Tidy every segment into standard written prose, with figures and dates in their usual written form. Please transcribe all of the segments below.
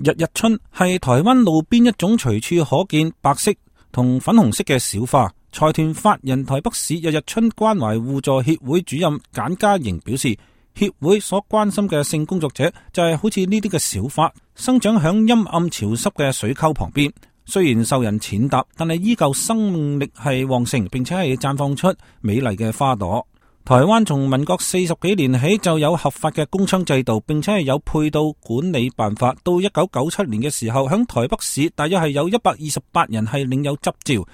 日日春係台灣路邊一種隨處可見白色同粉紅色嘅小花。財團法人台北市日日春關懷互助協會主任簡嘉瑩表示，協會所關心嘅性工作者就係好似呢啲嘅小花，生長響陰暗潮濕嘅水溝旁邊，雖然受人踐踏，但係依舊生命力係旺盛，並且係綻放出美麗嘅花朵。台灣從民國40幾年起就有合法嘅公娼制度，並且係有配套管理辦法。到1997年嘅時候，響台北市大約係有128人係領有執照。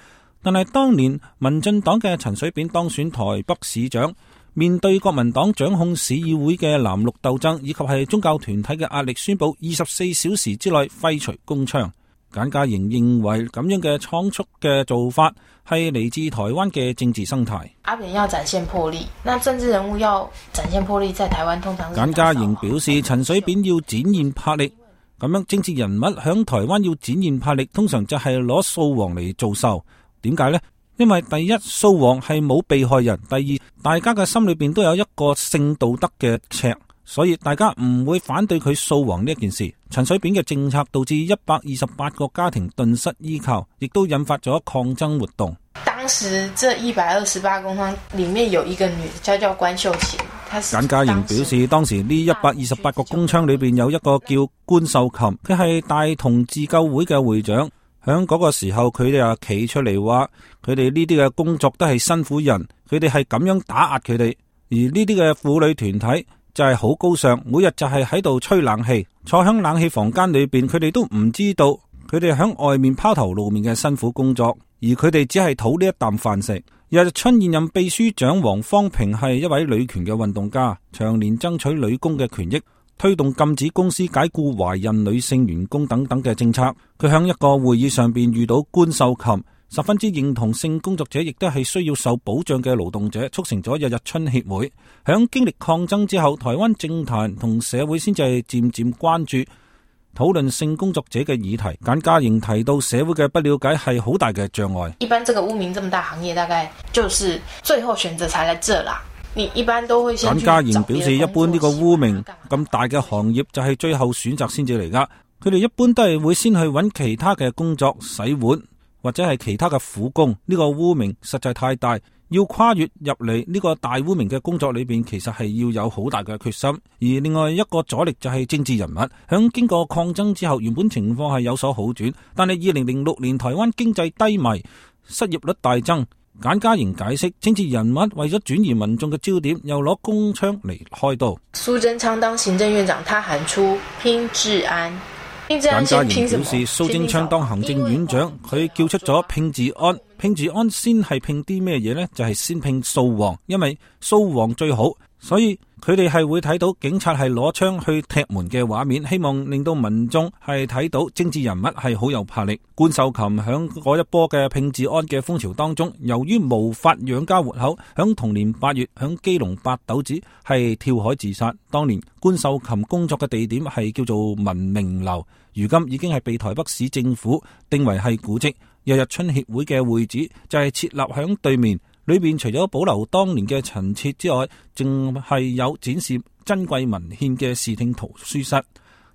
但係當年民進黨嘅陳水扁當選台北市長，面對國民黨掌控市議會嘅藍綠鬥爭，以及係宗教團體嘅壓力，宣布24小時之內廢除公娼。簡嘉瑩認為咁樣嘅倉促嘅做法係嚟自台灣嘅政治生態。阿扁要展現魄力，那政治人物要展現魄力，在台灣通常是。簡嘉瑩表示，陳水扁要展現魄力，咁樣政治人物響台灣要展現魄力，通常就係攞掃黃嚟做秀。點解呢？因為第一，掃黃係冇被害人；第二，大家嘅心裏邊都有一個性道德嘅尺。所以大家唔會反對佢掃黃呢一件事。陳水扁嘅政策導致128個家庭頓失依靠，亦都引發咗抗爭活動。當時這128公娼裏面有一個女的叫關秀琴。簡嘉瑩表示，當時呢128個公娼裏邊有一個叫關秀琴，佢係大同自救會嘅會長。響嗰個時候，佢哋啊企出嚟話，佢哋呢啲嘅工作都係辛苦人，佢哋係咁樣打壓佢哋，而呢啲嘅婦女團體就係好高尚，每日就係喺度吹冷氣，坐響冷氣房間裏邊，佢哋都唔知道佢哋響外面拋頭露面嘅辛苦工作，而佢哋只係討呢一啖飯食。日日春現任秘書長黃芳平係一位女權嘅運動家，長年爭取女工嘅權益，推動禁止公司解僱懷孕女性員工等等嘅政策。佢響一個會議上邊遇到關秀琴，十分之認同性工作者亦都係需要受保障嘅勞動者，促成咗日日春協會。響經歷抗爭之後，台灣政壇同社會先至係漸漸關注討論性工作者嘅議題。簡嘉瑩提到，社會嘅不了解係好大嘅障礙。一般這個污名這麼大行業，大概就是最後選擇才來這啦。你一般都會先去找別的工作。簡嘉瑩表示，一般呢個污名咁大嘅行業就係最後選擇先至嚟噶。佢哋一般都係會先去揾其他嘅工作洗碗，或者係其他嘅苦工。呢個污名實在太大，要跨越入嚟呢個大污名嘅工作裏邊，其實係要有好大嘅決心。而另外一個阻力就係政治人物。響經過抗爭之後，原本情況係有所好轉，但係2006年台灣經濟低迷，失業率大增。簡嘉瑩解釋，政治人物為咗轉移民眾嘅焦點，又攞公娼嚟開刀。蘇貞昌當行政院長，他喊出拼治安。簡嘉瑩表示，蘇貞昌當行政院長，佢叫出咗拼治安。拼治安先係拼啲咩嘢呢？就係先拼掃黃，因為掃黃最好，所以佢哋係會睇到警察係攞槍去踢門嘅畫面，希望令到民眾係睇到政治人物係好有魄力。關秀琴響嗰一波嘅拼治安嘅風潮當中，由於無法養家活口，響同年8月響基隆八斗子係跳海自殺。當年關秀琴工作嘅地點係叫做文明樓，如今已經係被台北市政府定為係古蹟。日日春協會嘅會址就係設立響對面，裏邊除咗保留當年嘅陳設之外，淨係有展示珍貴文獻嘅視聽圖書室。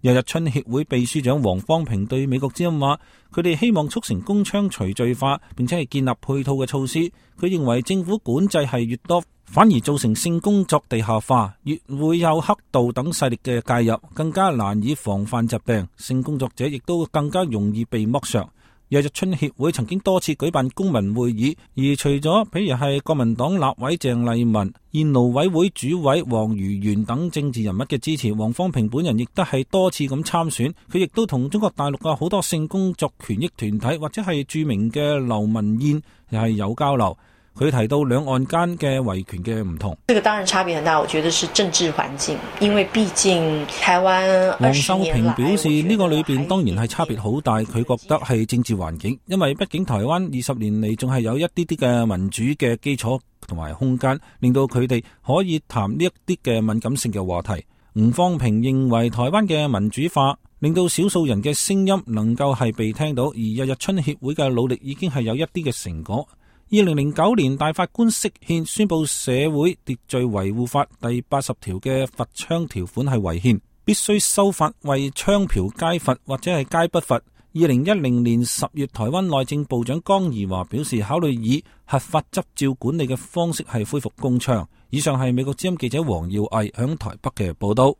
日日春協會秘書長黃芳平對美國之音話，佢哋希望促成公娼除罪化，並且係建立配套嘅措施。佢認為政府管制係越多，反而造成性工作地下化，越會有黑道等勢力嘅介入，更加難以防範疾病，性工作者亦都更加容易被剝削。日日春協會曾經多次舉辦公民會議，而除咗譬如係國民黨立委鄭麗文、現勞委會主委黃如元等政治人物嘅支持，黃芳平本人亦都係多次咁參選。佢亦都同中國大陸嘅好多性工作權益團體或者係著名嘅劉文燕又係有交流。佢提到兩岸間嘅維權嘅唔同，這個當然差別很大，我覺得是政治環境，因為畢竟台灣黃秀平表示呢個裏邊當然係差別好大，佢覺得係政治環境，因為畢竟台灣20年嚟仲係有一啲啲嘅民主嘅基礎同埋空間，令到佢哋可以談呢一啲嘅敏感性嘅話題。吳方平認為台灣嘅民主化令到少數人嘅聲音能夠係被聽到，而日日春協會嘅努力已經係有一啲嘅成果。2009年大法官釋憲宣布社會秩序維護法第80條嘅罰娼條款係違憲，必須修法為槍嫖皆罰或者係皆不罰。2010年10月，台灣內政部長江宜樺表示，考慮以合法執照管理嘅方式係恢復公槍。以上係美國之音記者黃耀毅響台北嘅報道。